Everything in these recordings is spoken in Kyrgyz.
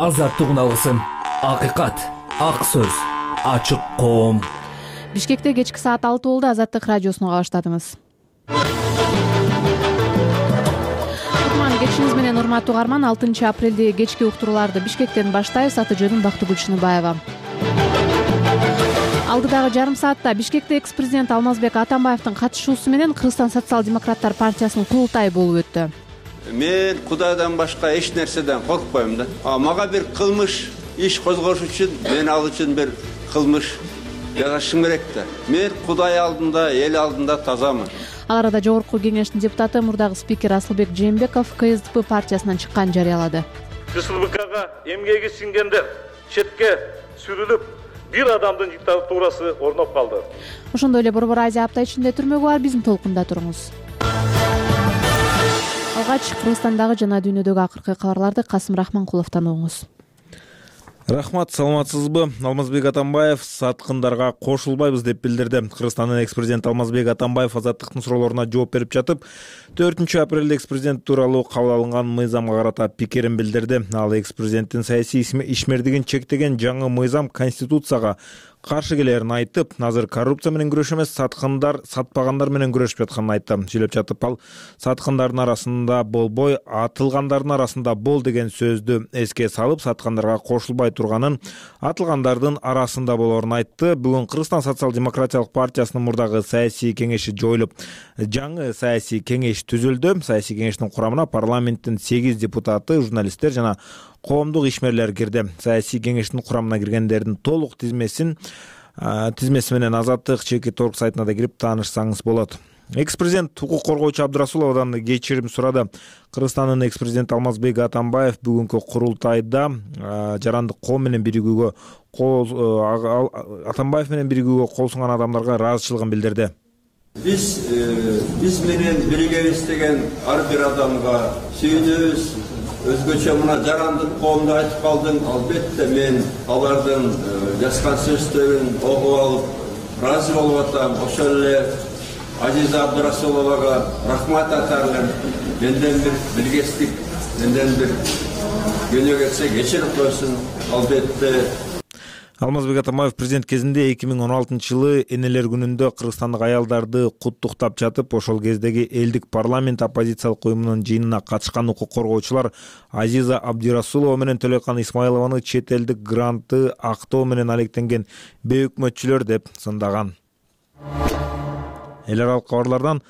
азаттык уналгысын, акыйкат, ак сөз, ачык коом. Бишкекте кечки саат 6 болду. Азаттык радиосуна кабаштадыңыз. Кечиңиз менен урматтуу угарман, 6 апрелде кечки уктурууларды Бишкектен баштайбыз. Аты жөнүм Бактыгүл Чыныбаева. Алдыдагы жарым саатта Бишкекте экс-президент Алмазбек Атамбаевдин катышуусу менен Кыргызстан социал-демократтар партиясынын курултайы болуп өттү. Мен Кудайдан башка эч нерседен коркпойм да. Мага бир кылмыш иш козгош үчүн мен ал үчүн бир кылмыш жасашым керек да. Мен Кудай алдында, эл алдында тазамын. Ал арада Жогорку кеңештин депутаты, мурдагы спикер Асылбек Жээнбеков КСДП партиясынан чыккан жарыялады. КСДПга эмгеги сиңгендер четке сүрүлүп, бир адамдын диктатурасы орноп калды. Ошондой эле Борбор Азия апта ичинде түрмөгү бар, биздин толкунда туруңуз. Алгач Кыргызстандагы жана дүйнөдөгү акыркы кабарларды Касым Рахманкуловдон угуңуз. Рахмат, саламатсызбы? Алмазбек Атамбаев саткындарга кошулбайбыз деп билдирди. Кыргызстандын экс-президенти Алмазбек Атамбаев азаттыктын суроолоруна жооп берип жатып, 4 апрелде экс-президент тууралуу кабыл алынган мыйзамга карата пикирин билдирди. Ал экс-президенттин саясий ишмердигин чектеген жаңы мыйзам Конституцияга каршы келерин айтып, азыр коррупция менен күрөш эмес, сатпагандар менен күрөшүп жатканын айтты. Сүйлөп жатып, ал саткандардын арасында болбой, атылгандардын арасында бол деген сөздү эске салып, саткандарга кошулбай турганын, атылгандардын арасында болорун айтты. Бүгүн Кыргызстан социал-демократиялык партиясынын мурдагы саясий кеңеши жоюлуп, жаңы саясий кеңеш түзүлдү. Саясий кеңештин курамына парламенттин 8 депутаты, журналисттер жана коомдук ишмерлер кирди. Саясий кеңештин курамына киргендердин толук тизмеси менен Азаттык чеки торг сайтына да кирип таанышсаңыз болот. Экс-президент укук коргоочу Абдырасуловдон кечирим сурады. Кыргызстандын экс-президенти Алмазбек Атамбаев бүгүнкү курултайда жарандык коом менен биригүүгө Атамбаев менен биригүүгө кол сунган адамдарга ыраазычылыгын билдирди. Биз менен биригебиз деген ар бир адамга сүйүнөбүз. Өзгөчө мына жарандык коомду айтып калдым. Албетте мен алардын жазган сөздөрүн окуп алып, ыраазы болуп атам. Ошол эле Азиза Абдырасуловага рахмат айтарлым. Менден бир билгестик, менден бир күнөө кетсе кечирип койсун. Албетте. Алмазбек Атамбаев президент кезинде 2016-жылы энелер күнүндө кыргызстандык аялдарды куттуктап жатып, ошол кездеги элдик парламент оппозициялык уюмунун жыйынына катышкан укук коргоочулар Азиза Абдырасулова менен Төлөкан Исмайлованы чет элдик грантты актоо менен алектенген бейөкмөтчүлөр деп сындаган. Эл аралык кабарлардан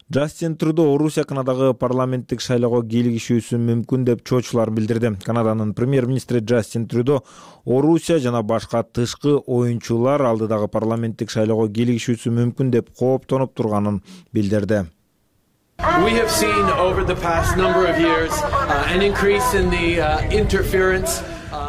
Джастин Трюдо Орусия Канадагы парламенттик шайлоого кийлигишүүсү мүмкүн деп чоочуларын билдирди. Канаданын премьер-министри Джастин Трюдо Орусия жана башка тышкы оюнчулар алдыдагы парламенттик шайлоого кийлигишүүсү мүмкүн деп кооптонуп турганын билдирди. We have seen over the past number of years an increase in the interference.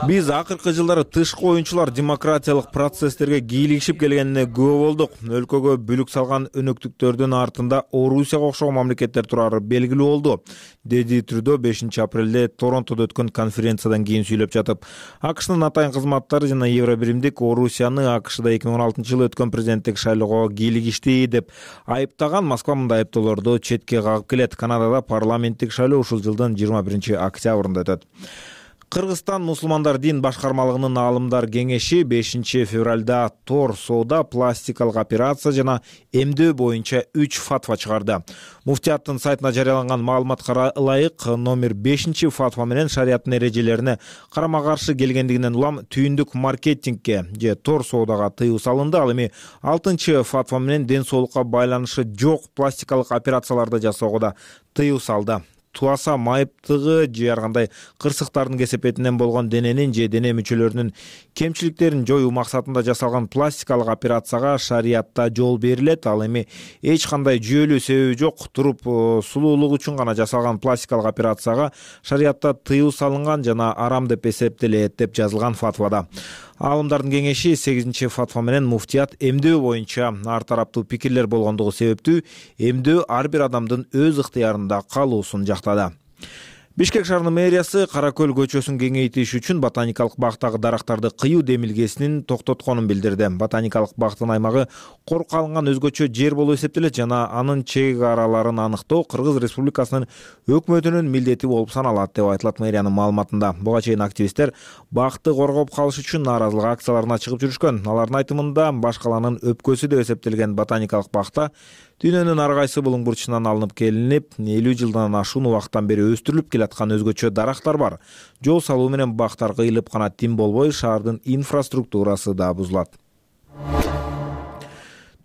Биз акыркы жылдары тышкы оюнчулар демократиялык процесстерге кийлигишип келгенине күбө болдук. Өлкөгө бүлүк салган өнөктүктөрдүн артында Орусияга окшогон мамлекеттер турары белгилүү болду, деди Трюдо 5 апрелде Торонтодо өткөн конференциядан кийин сүйлөп жатып. АКШнын атайын кызматтары жана Евробиримдик Орусияны АКШда 2016-жылы өткөн президенттик шайлоого кийлигишти деп айыптаган. Москва мындай айыптоолорду четке кагып келет. Канадада парламенттик шайлоо ушул жылдын 21 октябрында өтөт. Кыргызстан мусулмандар дин башкармалыгынын аалымдар кеңеши 5 февралда тор соода, пластикалык операция жана эмдөө боюнча 3 фатва чыгарды. Муфтияттын сайтына жарыяланган маалыматка ылайык, номер 5 фатва менен шариаттын эрежелерине карама-каршы келгендигинен улам түйүндүк маркетингге же тор соодага тыюу салынды. Ал эми 6 фатва менен ден соолукка байланышы жок пластикалык операцияларды жасоого да тыюу салды. Туаса майыптыгы же ар кандай кырсыктардын кесепетинен болгон дененин же дене мүчөлөрүнүн кемчиликтерин жоюу максатында жасалган пластикалык операцияга шариятта жол берилет. Ал эми эч кандай жүйөлүү себеби жок, туруп сулуулук үчүн гана жасалган пластикалык операцияга шариятта тыюу салынган жана арам деп эсептелет деп жазылган фатвада. Аалымдардын кеңеши 8 фатва менен муфтият эмдөө боюнча ар тараптуу пикирлер болгондугу себептүү эмдөө ар бир адамдын өз ыктыярында калуусун жактады. Бишкек шаарынын мэриясы Кара Көл көчөсүн кеңейтиш үчүн ботаникалык бактагы дарактарды кыюу демилгесин токтотконун билдирди. Ботаникалык бактын аймагы корукка алынган өзгөчө жер болуп эсептелет жана анын чек араларын аныктоо Кыргыз Республикасынын өкмөтүнүн милдети болуп саналат деп айтылат мэриянын маалыматында. Буга чейин активисттер бакты коргоп калыш үчүн нааразылык акцияларына чыгып жүрүшкөн. Алардын айтымында баш калаанын өпкөсү деп эсептелген ботаникалык бакта дүйнөнүн ар кайсы булуң бурчунан алынып келинип, 50 жылдан ашуун убакыттан бери өстүрүлүп келаткан өзгөчө дарактар бар. Жол салуу менен бактар кыйылып гана тим болбой, шаардын инфраструктурасы да бузулат.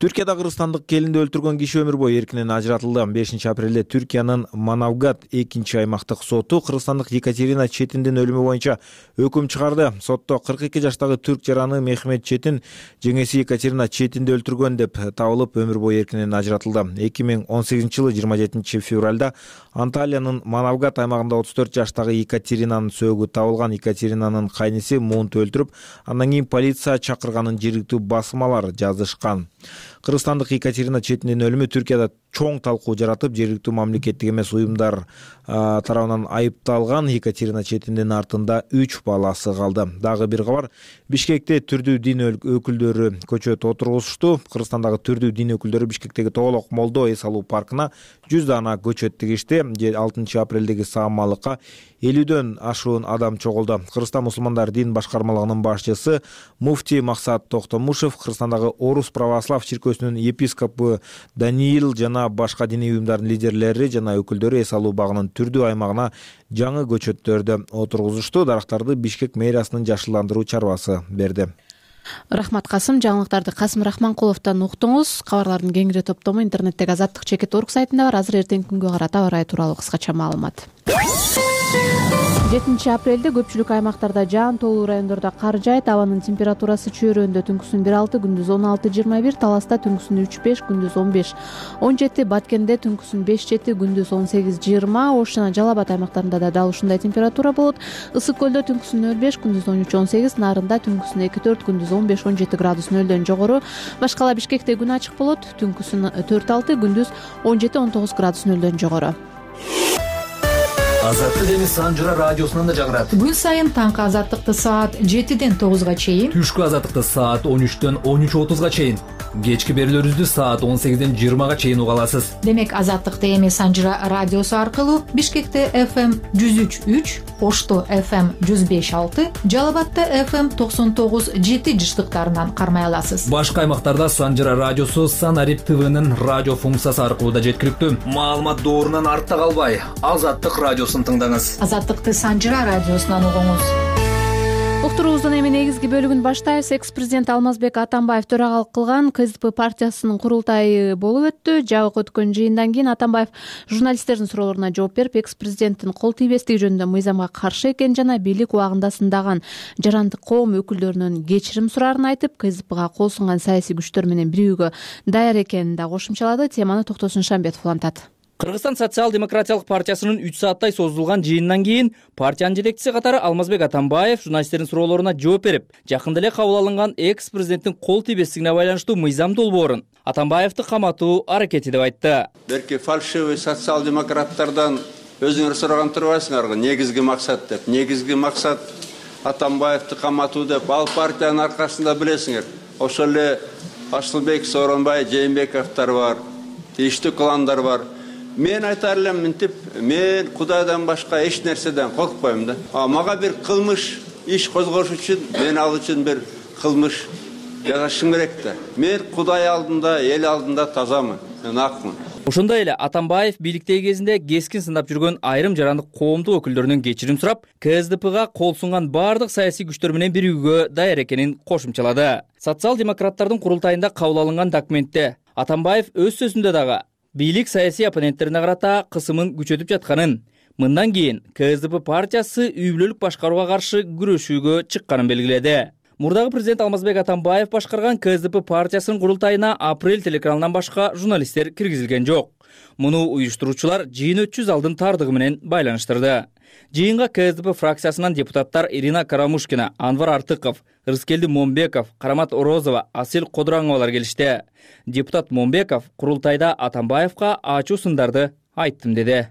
Түркияда кыргызстандык келинди өлтүргөн киши өмүр бою эркинен ажыратылды. 5 апрелде Түркиянын Манавгат 2 аймактык соту кыргызстандык Екатерина Четиндин өлүмү боюнча өкүм чыгарды. Сотто 42 жаштагы түрк жараны Мехмет Четин жеңеси Екатерина Четинди өлтүргөн деп табылып, өмүр бою эркинен ажыратылды. 2018-жылы 27 февралда Анталиянын Манавгат аймагында 34 жаштагы Екатеринанын сөөгү табылган. Екатеринанын кайниси муунту өлтүрүп, андан кийин полиция чакырганын жергиликтүү басмалар жазышкан. Кыргызстандык Екатерина Четиндин өлүмү Түркияда чоң талкуу жаратып, жергиликтүү мамлекеттик эмес уюмдар тарабынан айыпталган Екатерина Четиндин артында 3 баласы калды. Дагы бир кабар, Бишкекте түрдүү дин өкүлдөрү көчөт отургузушту. Кыргызстандагы түрдүү дин өкүлдөрү Бишкектеги Тоголок Молдо эс алуу паркына 100 дана көчөт тигишти. 6 апрелдеги саамалыкка 50дөн ашуун адам чогулду. Кыргызстан мусулмандар дин башкармалыгынын башчысы муфти Максат Токтомушев Кыргызстандагы Орус православ чиркөөсүнүн епископу Даниил жана башка диний уюмдардын лидерлери жана өкүлдөрү эс алуу багынын түрдүү аймагына жаңы көчөттөрдү отургузушту. Дарактарды Бишкек мэриясынын жашылдандыруу чарбасы берди. Рахмат Касым. Жаңылыктарды Касым Рахманкуловдон уктуңуз. Кабарлардын кеңири топтому интернеттеги azattik.org сайтында бар. Азыр эртеңки күнгө карата аба ырайы тууралуу кыскача маалымат. 7 апрелде көпчүлүк аймактарда жаан тоолуу райондордо кар жаайт. Абанын температурасы чөйрөндө түнкүсүн 1-6, күндүз 16-21, Таласта түнкүсүн 3-5, күндүз 15, 17, Баткенде түнкүсүн 5-7, күндүз 18-20, Ош жана Жалал Абад аймактарында да дал ушундай температура болот. Ысык көлдө түнкүсүн 0-5, күндүз 13-18, Нарында түнкүсүн 2-4, күндүз 15-17 градус нөлдөн жогору. Башкала Бишкекте күн ачык болот. Түнкүсүн 4-6, күндүз 17-19 градус нөлдөн жогору. Азаттык эми Санжыра радиосунан да жагырат. Күн сайын таңкы азаттыкты саат 7-ден 9-га чейин, Түшкү азаттыкты саат 13-төн 13:30-га чейин, кечки берүүлөрүбүздү саат 18-ден 20-га чейин уга аласыз. Демек азаттыкты эми Санжыра радиосу аркылуу Бишкекте FM 103.3, Ошто FM 105.6, Жалал Абадта FM 99.7 жыштыктарынан кармай аласыз. Башка аймактарда Санжыра радиосу Санарип ТВнын радио функциясы аркылуу да жеткиликтүү. Маалымат доорунан артта калбай, Азаттык радиосун тыңдаңыз. Азаттыкты Санжыра радиосунан угуңуз. Уктуруубуздун эми негизги бөлүгүн баштайбыз. Экс-президент Алмазбек Атамбаев төрагалык кылган КСДП партиясынын курултайы болуп өттү. Жабык өткөн жыйындан кийин Атамбаев журналисттердин суроолоруна жооп берип, экс-президенттин кол тийбестиги жөнүндө мыйзамга каршы экени жана бийлик убагында сындаган жарандык коом өкүлдөрүнөн кечирим сурарын айтып, КСДПга кол сунган саясий күчтөр менен бирүүгө даяр экенин да кошумчалады. Теманы Токтосун Шамбетов улантат. Кыргызстан социал-демократиялык партиясынын 3 сааттай созулган жыйындан кийин партиянын жетекчиси катары Алмазбек Атамбаев журналисттердин суроолоруна жооп берип, жакында эле кабыл алынган экс-президенттин кол тийбестигине байланыштуу мыйзам долбоорун Атамбаевди каматуу аракети деп айтты. Берки фальшивый социал-демократтардан өзүңөр сураган турбайсыңарбы, негизги максат деп. Негизги максат Атамбаевди каматуу деп, ал партиянын аркасында билесиңер. Ошол эле Асылбек, Сооронбай, Жээнбековдор бар, тийиштүү кландар бар. Мен айтар элем мынтип, мен Кудайдан башка эч нерседен коркпойм да. Мага бир кылмыш иш козгош үчүн мен ал үчүн бир кылмыш жасашым керек да. Мен Кудай алдында, эл алдында тазамын, мен акмын. Ошондой эле Атамбаев бийликтеги кезинде кескин сындап жүргөн айрым жарандык коомдук өкүлдөрүнөн кечирим сурап, КСДПга кол сунган бардык саясий күчтөр менен бирүүгө даяр экенин кошумчалады. Социал-демократтардын курултайында кабыл алынган документте Атамбаев өз сөзүндө дагы бийлик саясий оппоненттерине карата кысымын күчөтүп жатканын, мындан кийин КСДП партиясы үй бүлөлүк башкарууга каршы күрөшүүгө чыкканын белгиледи. Мурдагы президент Алмазбек Атамбаев башкарган КСДП партиясынын курултайына апрель телеканалынан башка журналисттер киргизилген жок. Муну уюштуруучулар жыйын өтчү залдын тардыгы менен байланыштырды. Жыйынга КСДП фракциясынан депутаттар Ирина Карамушкина, Анвар Артыков, Рыскелди Момбеков, Карамат Орозова, Асел Кодураңовалар келишти. Депутат Момбеков курултайда Атамбаевка ачуу сындарды айттым деди.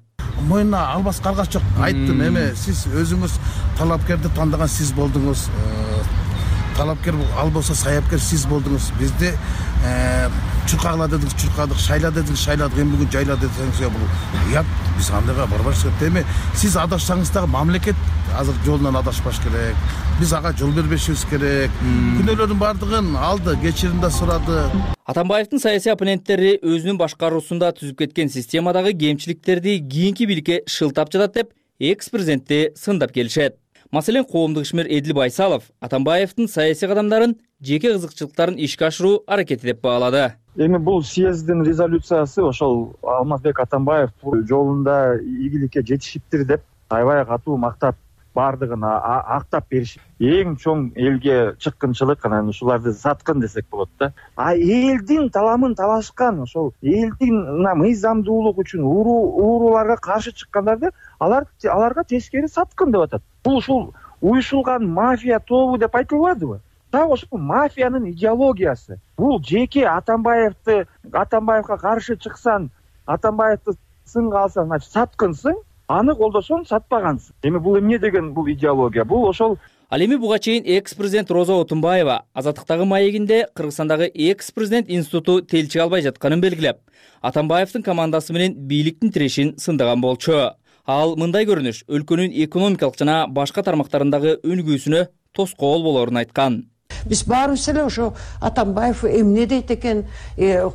мойнуна албаска аргач жок. Айттым, эме сиз өзүңүз талапкерди тандаган сиз болдуңуз. Талапкер ал болсо саяпкер сиз болдуңуз. Бизди чуркагыла дедиңиз, чуркадык, шайла дедиңиз, шайладык. Эми бүгүн жайла десеңиз бул уят. Биз андайга барбаш керек. Эми сиз адашсаңыз дагы мамлекет азыр жолунан адашпаш керек. Биз ага жол бербешибиз керек. Күнөөлөрдүн баардыгын алды, кечирим да сурады. Атамбаевдин саясий оппоненттери өзүнүн башкаруусунда түзүп кеткен системадагы кемчиликтерди кийинки бийликке шылтап жатат деп экс-президентти сындап келишет. Маселен, коомдук ишмер Эдил Байсалов Атамбаевдин саясий кадамдарын жеке кызыкчылыктарын ишке ашыруу аракети деп баалады. Эми бул съезддин резолюциясы ошол Алмазбек Атамбаев жолунда ийгиликке жетишиптир деп аябай катуу мактап бардыгын актап беришип. Эң чоң элге чыккынчылык анан ушуларды саткын десек болот да. Элдин таламын талашкан, ошол элдин мыйзамдуулук үчүн ууруларга каршы чыккандарды аларга тескери саткын деп атат. Бул ушул уюшулган мафия тобу деп айтылбадыбы? Так ошол мафиянын идеологиясы. Бул жеке Атамбаевга каршы чыксаң, Атамбаевди сынга алсаң, значит саткынсың, аны колдосоң сатпагансың. Эми бул эмне деген бул идеология? Бул ошол. Ал эми буга чейин экс-президент Роза Отунбаева Азаттыктагы маегинде Кыргызстандагы экс-президент институту телчи албай жатканын белгилеп, Атамбаевдин командасы менен бийликтин тирешин сындаган болчу. Ал мындай көрүнүш өлкөнүн экономикалык жана башка тармактарындагы өнүгүүсүнө тоскоол болорун айткан. Биз баарыбыз эле ошо Атамбаев эмне дейт экен,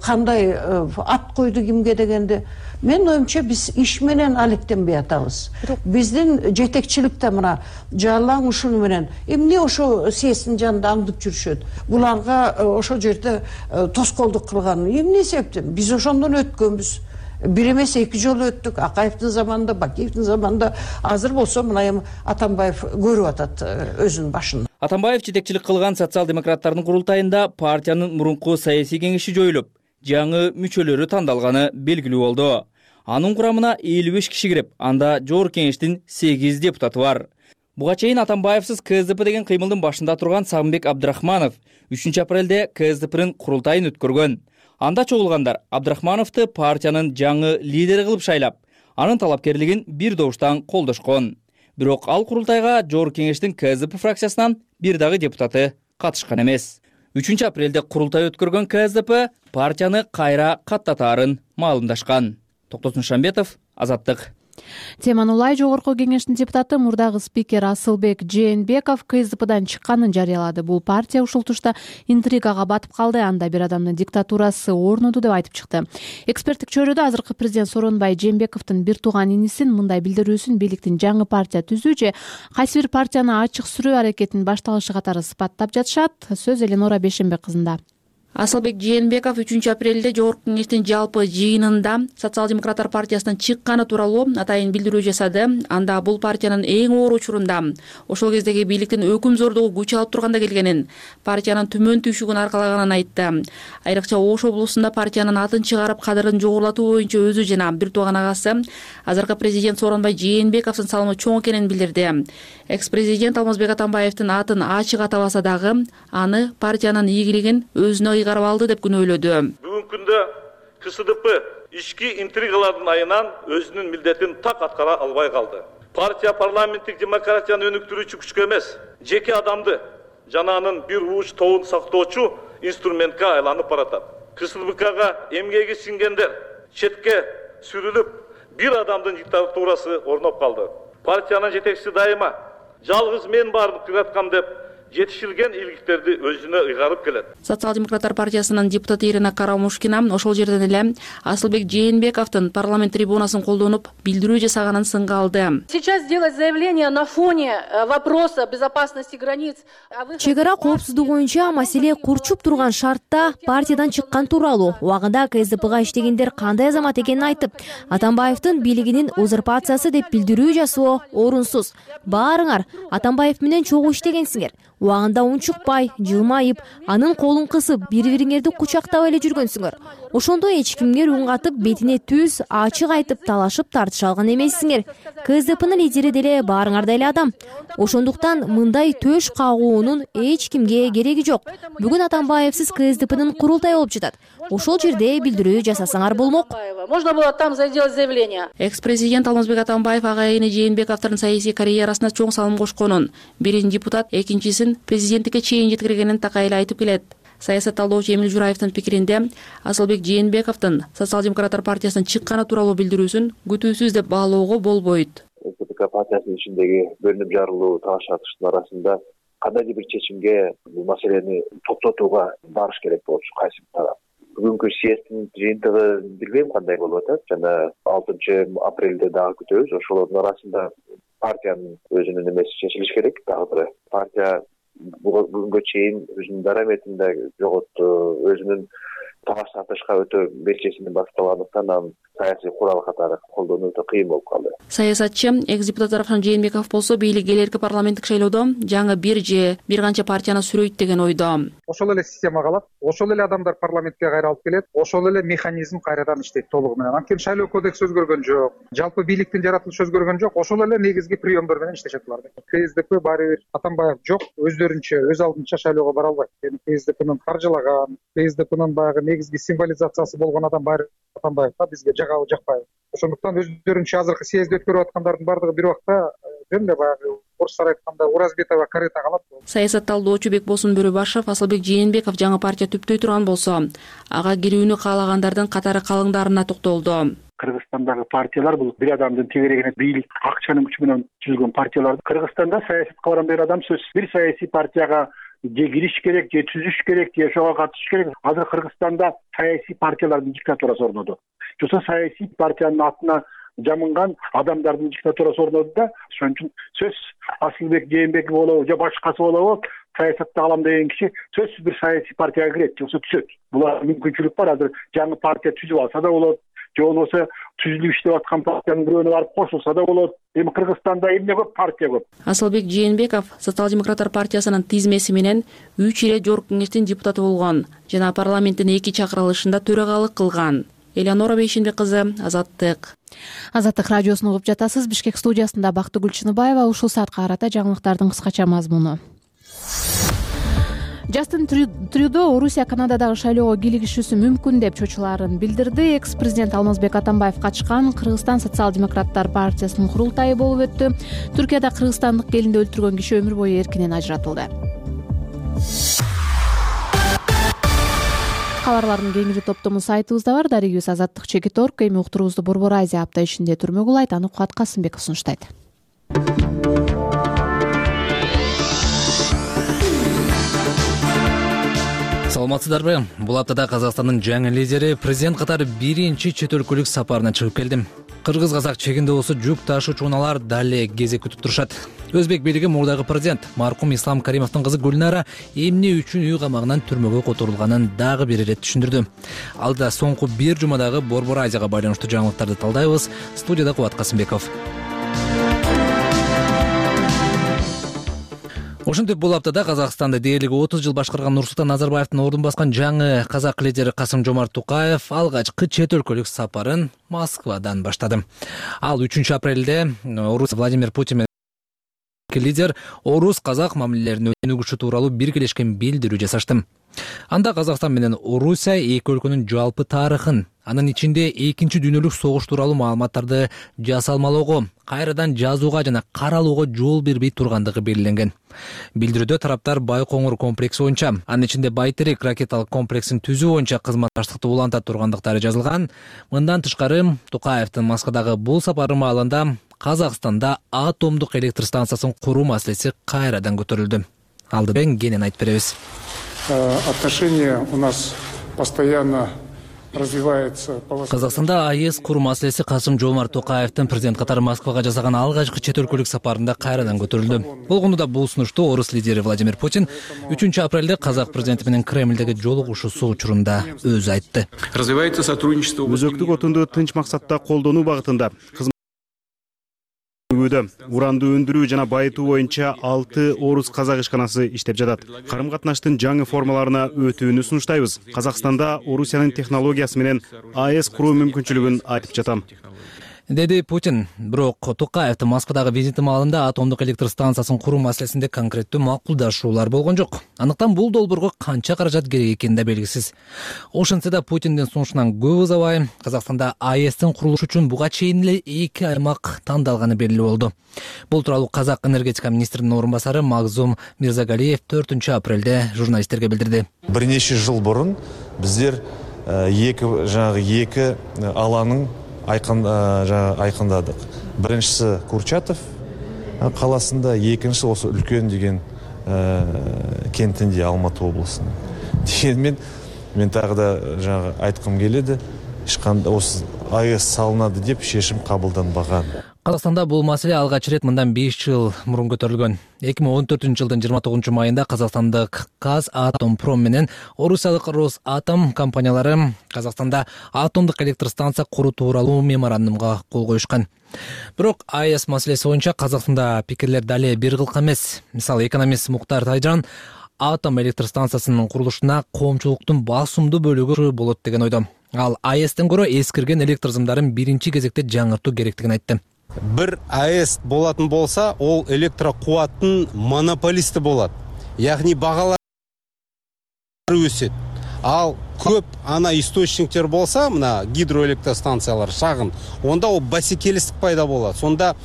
кандай ат койду кимге дегенде, мен оюмча биз иш менен алектенбей атабыз. Биздин жетекчиликте мына Жалаң ушуну менен эмне ошо съезддин жанында аңдып жүрүшөт. Буларга ошол жерде тоскоолдук кылган эмне себептен? Биз ошондон өткөнбүз. Бир эмес эки жолу өттүк. Акаевдин заманында, Бакиевдин заманында, азыр болсо мына эми Атамбаев көрүп атат өзүнүн башын. Атамбаев жетекчилик кылган социал-демократтардын курултайында партиянын мурунку саясий кеңеши жоюлуп, жаңы мүчөлөрү тандалганы белгилүү болду. Анын курамына 55 киши кирип, анда жогорку кеңештин 8 депутаты бар. Буга чейин Атамбаевсыз КСДП деген кыймылдын башында турган Сагынбек Абдрахманов 3 апрелде КСДПнын курултайын өткөргөн. Анда чогулгандар Абдрахмановду партиянын жаңы лидери кылып шайлап, анын талапкерлигин бир добуштан колдошкон. Бирок ал курултайга жогорку кеңештин КСДП фракциясынан бир дагы депутаты катышкан эмес. 3 апрелде курултай өткөргөн КСДП партияны кайра каттатаарын маалымдашкан. Токтосун Шамбетов, Азаттык. Теманы улай жогорку кеңештин депутаты мурдагы спикер Асылбек Жээнбеков КСДПдан чыкканын жарыялады. Бул партия ушул тушта интригага батып калды, анда бир адамдын диктатурасы орноду деп айтып чыкты. Эксперттик чөйрөдө азыркы президент Сооронбай Жээнбековдун бир тууган инисин мындай билдирүүсүн бийликтин жаңы партия түзүү же кайсы бир партияны ачык сүрүү аракетинин башталышы катары сыпаттап жатышат. Сөз Эленора Бешенбек кызында. Асылбек Жээнбеков 3 апрелде жогорку кеңештин жалпы жыйынында Социал-демократтар партиясынан чыкканы тууралуу атайын билдирүү жасады. Анда бул партиянын эң оор учурунда ошол кездеги бийликтин өкүмзордугу күч алып турганда келгенин, партиянын төмөн түшүгүн аркалаганын айтты. Айрыкча Ош облусунда партиянын атын чыгарып кадырын жогорулатуу боюнча өзү жана бир тууган агасы азыркы президент Сооронбай Жээнбековдун салымы чоң экенин билдирди. Экс-президент Алмазбек Атамбаевдин атын ачык атабаса дагы аны партиянын ийгилигин өзүнө ыйгарып алды деп күнөөлөдү. Бүгүнкү күндө КСДП ички интригалардын айынан өзүнүн милдетин так аткара албай калды. Партия парламенттик демократияны өнүктүрүүчү күчкө эмес, жеке адамды жана анын бир ууч тобун сактоочу инструментке айланып баратат. КСДПга эмгеги сиңгендер четке сүрүлүп, бир адамдын диктатурасы орноп калды. Партиянын жетекчиси дайыма жалгыз мен бардым кыраткам деп жетишилген ийгиликтерди өзүнө ыйгарып келет. Социал-демократтар партиясынын депутаты Ирина Карамушкина ошол жерден эле Асылбек Жээнбековдун парламент трибунасын колдонуп билдирүү жасаганын сынга алды. Сейчас сделать заявление на фоне вопроса безопасности границ. Чек ара коопсуздугу боюнча маселе курчуп турган шартта партиядан чыккан тууралуу убагында КСДПга иштегендер кандай азамат экенин айтып, Атамбаевдин бийлигинин узурпациясы деп билдирүү жасоо орунсуз. Баарыңар Атамбаев менен чогуу иштегенсиңер. Убагында унчукпай, жылмайып, анын колун кысып, бири-бириңерди кучактап эле жүргөнсүңөр. Ошондо эч кимге үн катып, бетине түз, ачык айтып талашып тартыша алган эмессиңер. КСДПнын лидери деле баарыңар да эле адам. Ошондуктан мындай төш кагуунун эч кимге кереги жок. Бүгүн Атамбаевсиз КСДПнын курултайы болуп жатат. Ошол жерде билдирүү жасасаңар болмок. Можно было там сделать заявление. Экс-президент Алмазбек Атамбаев агайыны Жээнбековдун саясий карьерасына чоң салым кошконун, бирин депутат, экинчисин президенттикке чейин жеткиргенин такай эле айтып келет. Саясат талдоочу Эмил Жураевдин пикиринде, Асылбек Жээнбековдун Социал-демократтар партиясынан чыкканы тууралуу билдирүүсүн күтүүсүз деп баалоого болбойт. СДП партиясынын ичиндеги бөлүнүп жарылуу, талаш тартыштын арасында кандайдыр бир чечимге бул маселени токтотууга барыш керек болчу кайсы тарап. Бүгүнкү съезддин жыйынтыгы билбейм кандай болуп атат. Жана 6 апрелде дагы күтөбүз. Ошолордун арасында партиянын өзүнүн эмеси чечилиш керек. Дагы бир партия бүгүнгө чейин өзүнүн дараметин да жоготту, өзүнүн талаш тартышка өтө белчесинен башталгандыктан анын саясий курал катары колдонуу өтө кыйын болуп калды. Саясатчы, экс-депутат Равшан Жээнбеков болсо бийлик элерки парламенттик шайлоодо жаңы бир канча партияны сүрөйт деген ойдо. Ошол эле система калат, ошол эле адамдар парламентке кайра алып келет, ошол эле механизм кайрадан иштейт толугу менен. Анткени шайлоо кодекси өзгөргөн жок, жалпы бийликтин жаратылышы өзгөргөн жок, ошол эле негизги приемдор менен иштешет булар. КСДП баары бир Атамбаев жок, өздөрүнчө, өз алдынча шайлоого бара албайт. КСДПнын каржылаган, КСДПнын баягы негизги символизациясы болгон адам баары Атамбаев да бизге жагабы жакпайбы. Ошондуктан өздөрүнчө азыркы съезд өткөрүп аткандардын баардыгы бир убакта жөн эле баягы орустар айтканда уразбетова карета калат. Саясат талдоочу Бекбосун Бөрөбашев Асылбек Жээнбеков жаңы партия түптөй турган болсо, ага кирүүнү каалагандардын катары калыңдарына токтолду. Кыргызстандагы партиялар бул бир адамдын тегерегине бийлик, акчанын күчү менен түзүлгөн партиялар. Кыргызстанда саясатка барган адам сөзсүз бир саясий партияга же кириш керек, же түзүш керек, же ошого катышыш керек. Азыр Кыргызстанда саясий партиялардын диктатурасы орноду. Жоксо саясий партиянын атына жамынган адамдардын диктатурасы орноду да. Ошон үчүн сөз Асылбек Жээнбеков болобу же башкасы болобу саясатта калам деген киши сөзсүз бир саясий партияга кирет, жоксо түшөт. Буга мүмкүнчүлүк бар. Азыр жаңы партия түзүп алса да болот, же болбосо түзүлүп иштеп аткан партиянын бирөөнө барып кошулса да болот. Эми Кыргызстанда эмне көп, партия көп. Асылбек Жээнбеков Социал-демократтар партиясынын тизмеси менен 3 ирет жогорку кеңештин депутаты болгон жана парламенттин 2 чакырылышында төрагалык кылган. Элеонора Бейшенбек кызы, Азаттык. Азаттык радиосун угуп жатасыз. Бишкек студиясында Бактыгүл Чыныбаева. Ушул саатка карата жаңылыктардын кыскача мазмуну. Жастин Трюдо Орусия Канададагы шайлоого кийлигишүүсү мүмкүн деп чочуларын билдирди. Экс-президент Алмазбек Атамбаев катышкан Кыргызстан социал-демократтар партиясынын курултайы болуп өттү. Түркияда кыргызстандык келинди өлтүргөн киши өмүр бою эркинен ажыратылды. Кабарлардын кеңири топтому сайтыбызда бар. Дарегибиз Азаттык.org. Эми уктуруубузду Борбор Азия апта ичинде түрмө кылайт. Аны Кубат Касымбеков сунуштайт. Саламатсыздарбы? Бул аптада Казакстандын жаңы лидери президент катары биринчи чет өлкөлүк сапарына чыгып келди. Кыргыз-казак чегинде болсо жүк ташуучу унаалар дале кезек күтүп турушат. Өзбек бийлиги мурдагы президент маркум Ислам Каримовдун кызы Гүлнара эмне үчүн үй камагынан түрмөгө которулганын дагы бир ирет түшүндүрдү. Алда соңку бир жумадагы Борбор Азияга байланыштуу жаңылыктарды талдайбыз. Студияда Кубат Касымбеков. Ошентип бул аптада Казакстанды дээрлиги 30 жыл башкарган Нурсултан Назарбаевдин ордун баскан жаңы казак лидери Касым-Жомарт Токаев алгачкы чет өлкөлүк сапарын Москвадан баштады. Ал 3 апрелде Орус Владимир Путин лидер орус-казак мамилелерин өнүгүшү тууралуу биргелешкен билдирүү жасашты. Анда Казакстан менен Орусия эки өлкөнүн жалпы тарыхын, анын ичинде экинчи дүйнөлүк согуш тууралуу маалыматтарды жасалмалоого, кайрадан жазууга жана каралууга жол бербей тургандыгы белгиленген. Билдирүүдө тараптар Байкоңур комплекси боюнча, анын ичинде Байтерек ракеталык комплексин түзүү боюнча кызматташтыкты уланта тургандыктары жазылган. Мындан тышкары Токаевдин Москвадагы бул сапары маалында Казакстанда атомдук электр станциясын куруу маселеси кайрадан көтөрүлдү. Алдыдан кенен айтып беребиз. Отношения у нас постоянно развивается. Казакстанда АЭС куруу маселеси Касым-Жомарт Токаевдин президент катары Москвага жасаган алгачкы чет өлкөлүк сапарында кайрадан көтөрүлдү. Болгону да бул сунушту орус лидери Владимир Путин 3 апрелде казак президенти менен Кремлдеги жолугушуусу учурунда өзү айтты. Развивается сотрудничество. Өзөктүк отунду тынч максатта колдонуу багытында өтүүдө. Уранды өндүрүү жана байытуу боюнча 6 орус-казак ишканасы иштеп жатат. Карым-катнаштын жаңы формаларына өтүүнү сунуштайбыз. Казакстанда Орусиянын технологиясы менен АЭС куруу мүмкүнчүлүгүн айтып жатам, деди Путин. Бирок Токаевдин Москвадагы визити маалында атомдук электр станциясын куруу маселесинде конкреттүү макулдашуулар болгон жок. Андыктан бул долбоорго канча каражат керек экени да белгисиз. Ошентсе да Путиндин сунушунан көп узабай Казакстанда АЭСтин курулушу үчүн буга чейин эле 2 аймак тандалганы белгилүү болду. Бул тууралуу Казак энергетика министринин орун басары Магзум Мирзагалиев 4-апрелде журналисттерге билдирди. Бир нече жыл мурун биздер эки алаңын айкындадык. Биринчиси Курчатов каласында, экинчиси осы үлкөн деген кентинде, Алматы облусунда. Дегенмен мен тагы да айткым келеди, осы АЭС салынады деп чечим кабылданбаган. Казакстанда бул маселе алгач ирет мындан 5 жыл мурун көтөрүлгөн. 2014-жылдын 29-майында казакстандык Казатомпром менен орусиялык Росатом компаниялары Казакстанда атомдук электр станция куруу тууралуу меморандумга кол коюшкан. Бирок АЭС маселеси боюнча Казакстанда пикирлер дале бир кылка эмес. Мисалы, экономист Муктар Тайжан атом электр станциясынын курулушуна коомчулуктун басымдуу бөлүгү болот деген ойдо. Ал АЭСтен көрө эскирген электр сымдарын биринчи кезекте жаңыртуу керектигин айтты. Бир АЭС болатын болса, ол электрокубаттын монополисти болот. Яғни багалар өсөт. Ал көп ана источниктер болса, мына гидроэлектростанциялар шагын, онда ол бәсекелестик пайда болот. Сонда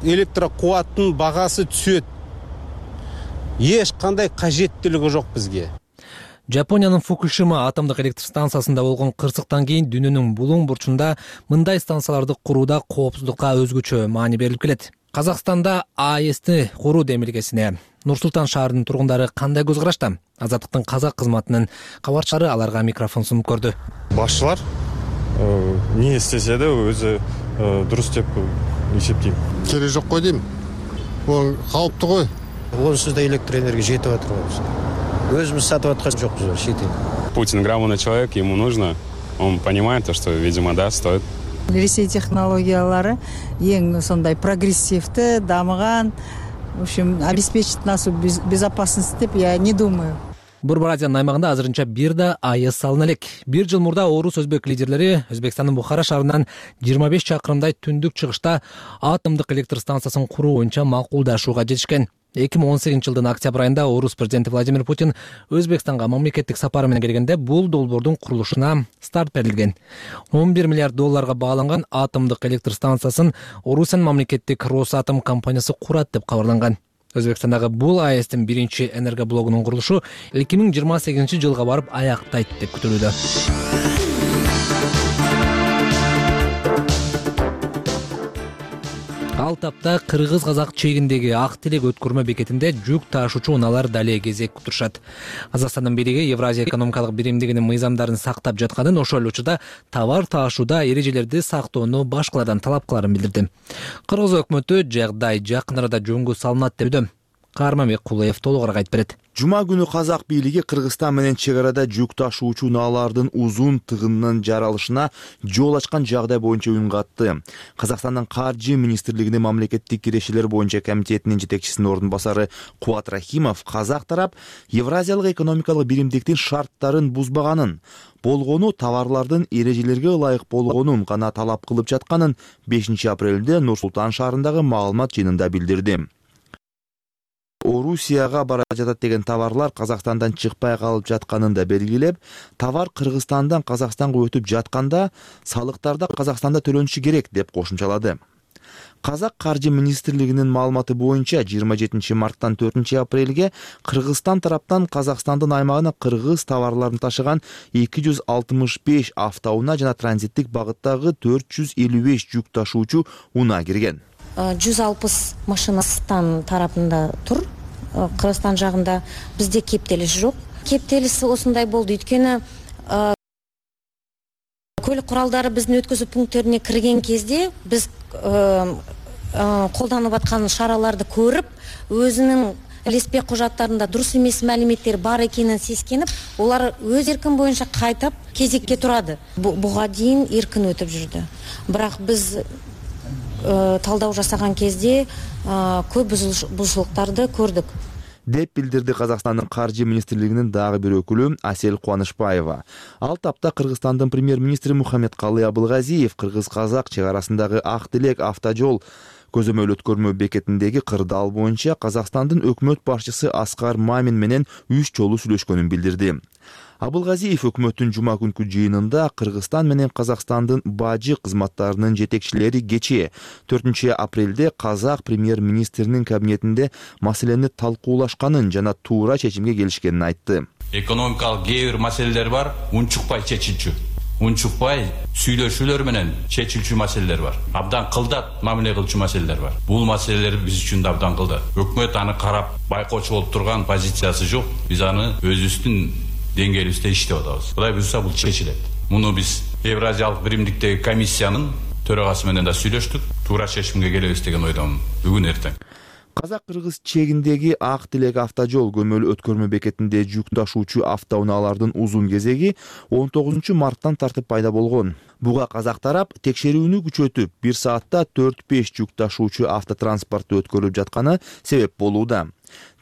электрокубаттын багасы түсөт. Еш кандай кажеттүүлүгү жок бизге. Жапониянын Фукушима атомдук электр станциясында болгон кырсыктан кийин дүйнөнүн булуң бурчунда мындай станцияларды курууда коопсуздукка өзгөчө маани берилип келет. Казакстанда АЭСти куруу демилгесине Нур-Султан шаарынын тургундары кандай көз карашта? Азаттыктын казак кызматынын кабарчылары аларга микрофон сунуп көрдү. Башчылар не истесе да өзү дурус деп эсептейм. Кереги жок го дейм. Бул калыптуу го. Онсуз да электр энергия жетип атыр го. Өзүбүз сатып аткан жокпуз, шетел. Путин грамотный человек, ему нужно. Он понимает то, что, видимо, да, стоит. Ресей технологиялары ең сондай прогрессивті, дамыған. В общем, обеспечить нашу безопасность деп я не думаю. Борбор Азиянын аймагында азырынча бир да АЭС салына элек. Бир жыл мурда орус-өзбек лидерлери Өзбекстандын Бухара шаарынан 25 чакырымдай түндүк чыгышта атомдук электр станциясын куруу боюнча макулдашууга жетишкен. 2018-жылдын октябрь айында орус президенти Владимир Путин Өзбекстанга мамлекеттик сапары менен келгенде бул долбоордун курулушуна старт берилген. 11 миллиард долларга бааланган атомдук электр станциясын Орусиянын мамлекеттик Росатом компаниясы курат деп кабарланган. Өзбекстандагы бул АЭСтин биринчи энергоблогунун курулушу 2028-жылга барып аяктайт деп күтүлүүдө. Ал тапта кыргыз-казак чегиндеги Ак Телек өткөрмө бекетинде жүк ташуучу унаалар дале кезек кутурушат. Казакстандын бийлиги Евразия экономикалык биримдигинин мыйзамдарын сактап жатканын, ошол эле учурда товар таашууда эрежелерди сактоону башкалардан талап кыларын билдирди. Кыргыз өкмөтү жагдай жакын арада жөнгө салынат деп Карманбек Кулаев толугураак айтып берет. Жума күнү казак бийлиги Кыргызстан менен чек арада жүк ташуучу унаалардын узун тыгынынын жаралышына жол ачкан жагдай боюнча үн катты. Казакстандын Каржы министрлигинин мамлекеттик кирешелер боюнча комитетинин жетекчисинин ордун басары Кубат Рахимов казак тарап Евразиялык экономикалык биримдиктин шарттарын бузбаганын, болгону товарлардын эрежелерге ылайык болгонун гана талап кылып жатканын 5 апрелде Нур-Султан шаарындагы маалымат жыйынында билдирди. Орусияга бара жатат деген товарлар Казакстандан чыкпай калып жатканын да белгилеп, товар Кыргызстандан Казакстанга өтүп жатканда салыктарда Казакстанда төлөнүшү керек деп кошумчалады. Казак Каржы министрлигинин маалыматы боюнча 27 марттан 4 апрелге Кыргызстан тараптан Казакстандын аймагына кыргыз товарларын ташыган 265 автоунаа жана транзиттик багыттагы 455 жүк ташуучу унаа кирген. 160 машинастан тарапында тур. Кыргызстан жагында бизде кептелиш жок. Кептелиш осундай болду, өйткөнү көлүк куралдары биздин өткөзүү пункттерине кирген кезде биз колданып аткан шараларды көрүп, өзүнүн илеспе кужаттарында дурус эмес маалыметтер бар экенин сескенип, олар өз эркин боюнча кайтып кезекке турады. Буга дейин эркин өтүп жүрдү. Бирок биз талдоо жасаган кезде көп бузушулуктарды көрдүк деп билдирди Казакстандын каржы министрлигинин дагы бир өкүлү Асель Кубанычбаева. Ал тапта Кыргызстандын премьер-министри Мухаммедкалый Абылгазиев кыргыз-казак чек арасындагы Ак Тилек автожол көзөмөл өткөрмө бекетиндеги кырдаал боюнча Казакстандын өкмөт башчысы Аскар Мамин менен 3 жолу сүйлөшкөнүн билдирди. Абылгазиев өкмөттүн жума күнкү жыйынында Кыргызстан менен Казакстандын бажы кызматтарынын жетекчилери кечээ 4 апрелде казак премьер-министринин кабинетинде маселени талкуулашканын жана туура чечимге келишкенин айтты. Экономикалык кээ бир маселелер бар, унчукпай чечилчү. Унчукпай сүйлөшүүлөр менен чечилчү маселелер бар. Абдан кылдат мамиле кылчу маселелер бар. Бул маселелер биз үчүн да абдан кылдат. Өкмөт аны карап байкоочу болуп турган позициясы жок. Биз аны өзүбүздүн деңгээлибизде иштеп атабыз. Кудай буйрса бул чечилет. Муну биз Евразиялык биримдиктеги комиссиянын төрагасы менен да сүйлөштүк. Туура чечимге келебиз деген ойдомун бүгүн эртең. Казак-кыргыз чегиндеги Ак Тилек автожол көмөл өткөрмө бекетинде жүк ташуучу автоунаалардын узун кезеги 19 марттан тартып пайда болгон. Буга казак тарап текшерүүнү күчөтүп, 1 саатта 4-5 жүк ташуучу автотранспортту өткөрүлүп жатканы себеп болууда.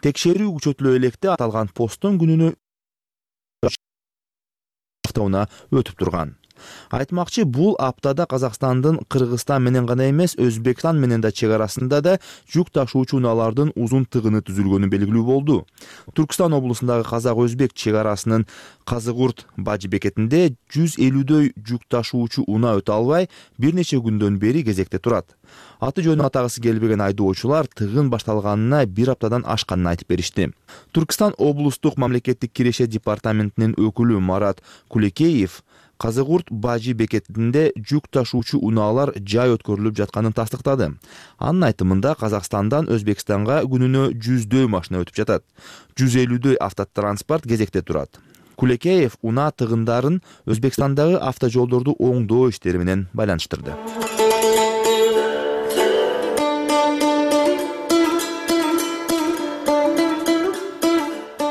Текшерүү күчөтүлө электе аталган посттон күнүнө автоунаа өтүп турган. Айтмакчы, бул аптада Казакстандын Кыргызстан менен гана эмес, Өзбекстан менен да чек арасында да жүк ташуучу унаалардын узун тыгыны түзүлгөнү белгилүү болду. Түркстан облусундагы казак-өзбек чек арасынын Казыгурт бажы бекетинде 150дөй жүк ташуучу унаа өтө албай, бир нече күндөн бери кезекте турат. Аты жөнү атагысы келбеген айдоочулар тыгын башталганына 1 аптадан ашканын айтып беришти. Түркстан облустук мамлекеттик киреше департаментинин өкүлү Марат Кулекеев Казыгурт бажы бекетинде жүк ташуучу унаалар жай өткөрүлүп жатканын тастыктады. Анын айтымында Казакстандан Өзбекстанга күнүнө 100дөй машина өтүп жатат. 150дөй автотранспорт кезекте турат. Кулекеев унаа тыгындарын Өзбекстандагы автожолдорду оңдоо иштери менен байланыштырды.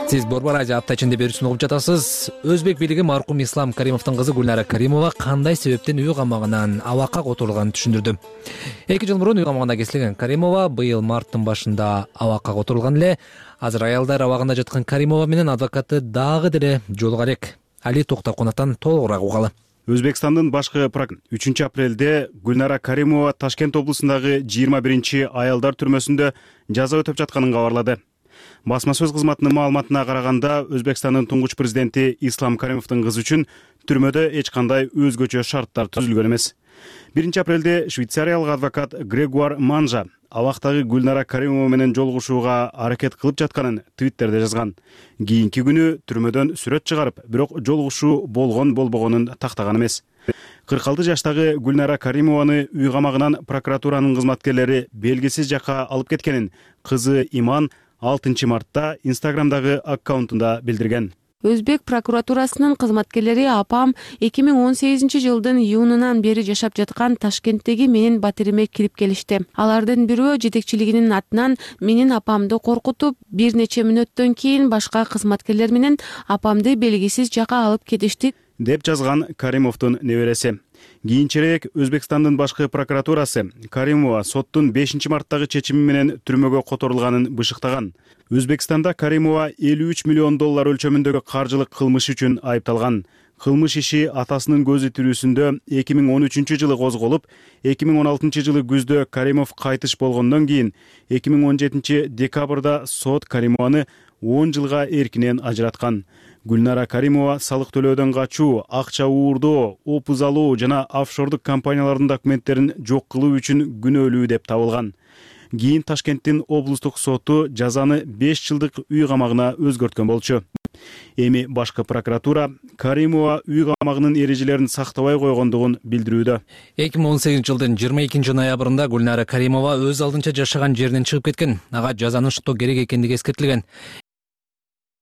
Сиз Борбор радио апта ичинде берүүсүн угуп жатасыз. Өзбек бийлиги маркум Ислам Каримовдун кызы Гүлнара Каримова кандай себептен үй камагынан абакка которулганын түшүндүрдү. 2 жыл мурун үй камагында кесилген Каримова быйыл марттын башында абакка которулган эле. Азыр аялдар абагында жаткан Каримова менен адвокаты дагы деле жолуга элек. Али Токтокунаттан толугураак угалы. Өзбекстандын башкы прокурору 3 апрелде Гүлнара Каримова Ташкент облусундагы 21 аялдар түрмөсүндө жаза өтөп жатканын кабарлады. Басма сөз кызматынын маалыматына караганда, Өзбекстандын туңгуч президенти Ислам Каримовдун кызы үчүн түрмөдө эч кандай өзгөчө шарттар түзүлгөн эмес. 1 апрелде швейцариялык адвокат Грегуар Манжа абактагы Гүлнара Каримова менен жолугушууга аракет кылып жатканын Твиттерде жазган. Кийинки күнү түрмөдөн сүрөт чыгарып, бирок жолугушуу болгон-болбогонун тактаган эмес. 46 жаштагы Гүлнара Каримованы үй камагынан прокуратуранын кызматкерлери белгисиз жакка алып кеткенин кызы Иман 6 мартта Инстаграмдагы аккаунтунда билдирген. Өзбек прокуратурасынын кызматкерлери апам 2018 жылдын июнунан бери жашап жаткан Ташкенттеги менин батириме кирип келишти. Алардын бирөө жетекчилигинин атынан менин апамды коркутуп, бир нече мүнөттөн кийин башка кызматкерлер менен апамды белгисиз жакка алып кетишти, деп жазган Каримовдун небереси. Кийинчерээк Өзбекстандын башкы прокуратурасы Каримова соттун 5 марттагы чечими менен түрмөгө которулганын бышыктаган. Өзбекстанда Каримова 53 миллион доллар өлчөмүндөгү каржылык кылмыш үчүн айыпталган. Кылмыш иши атасынын көзү тирүүсүндө 2013 жылы козголуп, 2016 жылы күздө Каримов кайтыш болгондон кийин 2017 декабрда сот Каримованы 10 жылга эркинен ажыраткан. Гүлнара Каримова салык төлөөдөн качуу, акча уурдоо, опуз алуу жана офшордук компаниялардын документтерин жок кылуу үчүн күнөөлүү деп табылган. Кийин Ташкенттин облустук соту жазаны 5 жылдык үй камагына өзгөрткөн болчу. Эми башкы прокуратура Каримова үй камагынын эрежелерин сактабай койгондугун билдирүүдө. 2018 жылдын 22 ноябрында Гүлнара Каримова өз алдынча жашаган жеринен чыгып кеткен. Ага жазаны уштоо керек экендиги эскертилген.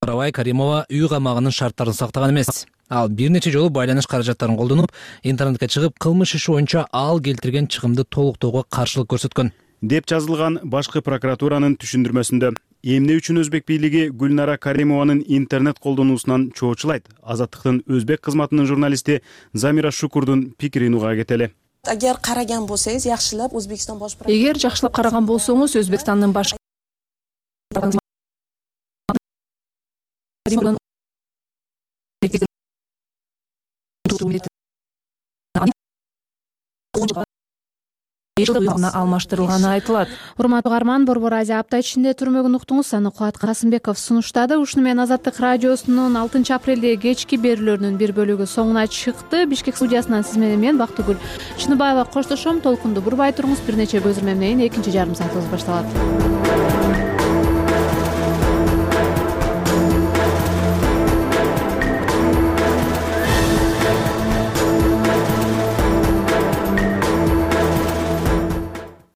Каримова үй камагынын шарттарын сактаган эмес. Ал бир нече жолу байланыш каражаттарын колдонуп, интернетке чыгып, кылмыш иши боюнча ал келтирген чыгымды толуктоого каршылык көрсөткөн, деп жазылган башкы прокуратуранын түшүндүрмөсүндө. Эмне үчүн Өзбек бийлиги Гүлнара Каримованын интернет колдонуусунан чоочулайт? Азаттыктын Өзбек кызматынын журналисти Замира Шукурдун пикирин уга кетели. Эгер караган болсоңуз, жакшылап Өзбекстон бош прокуратурасы. Эгер жакшылап караган болсоңуз, Өзбекстандын баш алмаштырылганы айтылат. Урматтуу угарман, Борбор Азия апта ичинде түрмөгүн уктуңуз. Аны Кубат Касымбеков сунуштады. Ушуну менен Азаттык радиосунун 6 апрелдеги кечки берүүлөрүнүн бир бөлүгү соңуна чыкты. Бишкек студиясынан сиз менен мен Бактыгүл Чыныбаева коштошом. Толкунду бурбай туруңуз. Бир нече көзүрмө менен экинчи жарым саатыбыз башталат.